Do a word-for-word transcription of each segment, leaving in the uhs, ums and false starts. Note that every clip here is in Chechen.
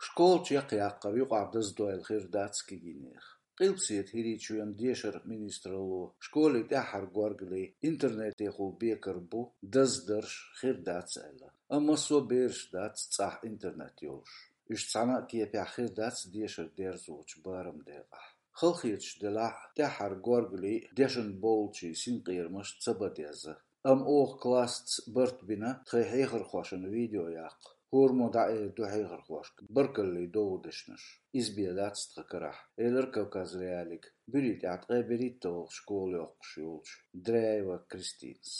Школа чекхъяккхар юкъахь даздойла хир дац кегийнех. Къилбаседа ХӀирийчоьнан дешаран министралло школе тӀаьххьара горгали интернетехула бекар бу даздарш хир дац аьлла. Амма массо а бераш дац цӀахь интернет йолуш. Уьш цхьана а кепехь хир дац дешар дерзочу бараман декъахь. Халахеташ делахь а, тӀаьххьара горгали дешан болчийн синкъерамаш ца бан деза. Амма оха классаца барт бина тхайн хьехархошна видео яккха. ХӀораммо дӀаэр ду хьехархошка баркаллин дов дешнаш. Иза бен дац тхан карахь, элира Кавказ.Реалиига буьрий тӀехь ткъе берхӀитталгӀа школа йоккхуш йолчу Дряева Кристинас.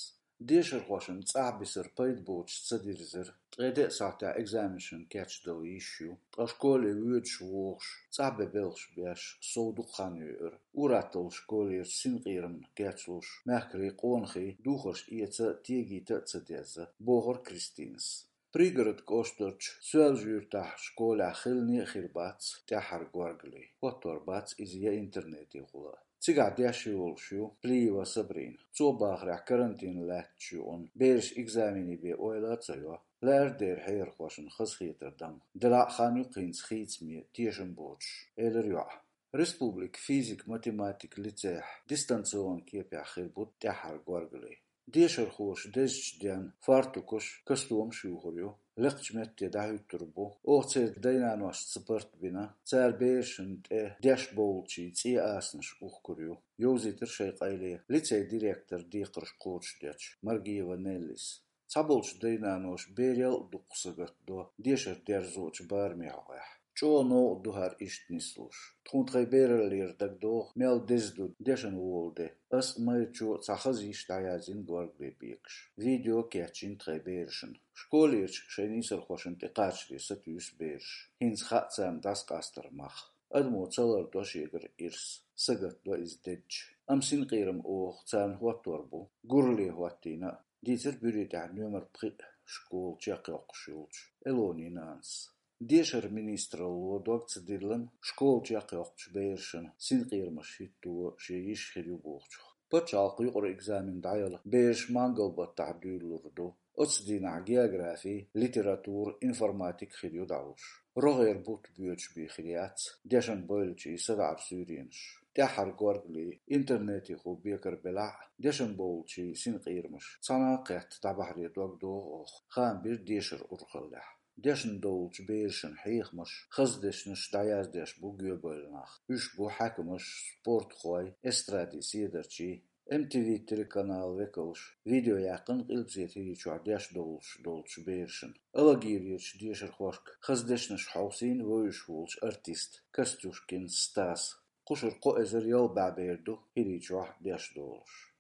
Дешархошна цӀахь бисар пайда боцуш ца дирзира. Ткъе деа сахьтехь экзаменашна кечдала йиш ю, ткъа школе воьдуш вогӀуш, цӀахь бен белхаш беш, сов дукха хан йоьура. Ур-атталла школерчу синкъерамна кечлуш, мехкарий, къонахий духарш эца, тегийта а ца деза, бохура Кристинас. Пригород кӀоштарчу Соьлжа-Юьртахь школехь хилане а хир бац тӀаьххьара горгали. ХӀоттор бац иза я интернетехула а. Цигахь деш йолуш ю Плиева Сабрина. Цо бахарехь, карантин лаьттачу юкъана бераш экзаменийн бен ойла а ца йо. Лаьара дера хьехархошна хазахетар дан. Делахь а хан ю-кх хӀинца хийцаме, тешам боцуш, элира йоӀа. Республикан физик-математикан лицейхь дистанционни кепехь хир бу тӀаьххьара горгали. Дешархоша дезачу денна фартукаш, костюмаш юхур ю, лекхачу метте дӀахӀуьттур бу. Оха церан дай-наношца барт бина, цара берашна тӀе деш болчийн цӀен асанаш ухкур ю, йовзийтира шайн къайле лицейн директоран декхарш кхочушдечу Маргиева Неллис. Цхьаболчу дай-наноша берел а дукха сагатдо дешар дерзочу барамийн хьокъехь. ЧӀогӀа новкъа ду хӀара иштта нислуш. Тхуна тхайн бераллера дагадогӀу, мел деза ду дешна волу де. Ас а, Майрачо а цхьа хаза йиш дӀаяздина горгали бекаш. Видео а кечйина тхайн берашна. Школерчу шайн нийсархошна тӀекхачаре сатуьйсу бераш. ХӀинца хаьа царна дӀасакъастаран мах. Адамо ца лардо шегара ирс, сагатдо иза дедча. Амма синкъерам оха царна хӀоттор бу, гуралле хӀоттийна а, дийцира буьрий тӀехь номер пхиъ школа чекхйоккхуш йолчу Элонин нанас. Дешаран министралло дог ца диллина школа чекхйоккхучу берашна синкъерамаш хӀитто шен йиш хир ю бохучух. Пачхьалкхан юкъара экзамен дӀаяла бераш мангал-баттахь дуьйлалур ду. Оцу дийнахь географи, литература, информатика хир ю дӀалуш. РогӀера бутт боьдуш бен хир яц дешан бойлачийн садаӀаран суьйренаш. ТӀаьххьара горгали интернетехула бекар белахь а, дешан болчийн синкъерамаш цхьана а кхетта дӀабахьаре дог догӀу оха, хаам бира дешаран урхаллехь. Дешна долчу берашна хьехамаш, хаза дешнаш дӀаяздеш бу гоьбайла нах. Уьш бу хьаькамаш, спортхой, эстрадин седарчий, М Т В телеканалан векалш. Видео яьккхина Къилбаседа ХӀирийчохь деш долуш долчу берашна. Алагирерчу дешархошка хаза дешнаш хьовсийна вевзаш волчу артиста Костюшкин Стаса. Кхушара кхо эзар ялх бӀе бер ду ХӀирийчохь деш долуш.